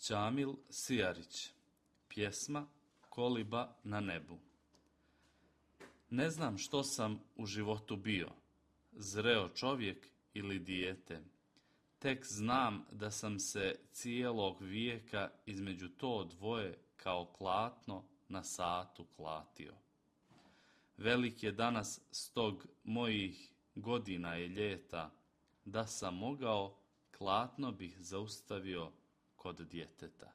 Đamil Sijarić. Pjesma Koliba na nebu. Ne znam što sam u životu bio, zreo čovjek ili dijete. Tek znam da sam se cijelog vijeka između to dvoje kao klatno na satu klatio. Velik je danas stog mojih godina je ljeta, da sam mogao, klatno bih zaustavio kod djeteta.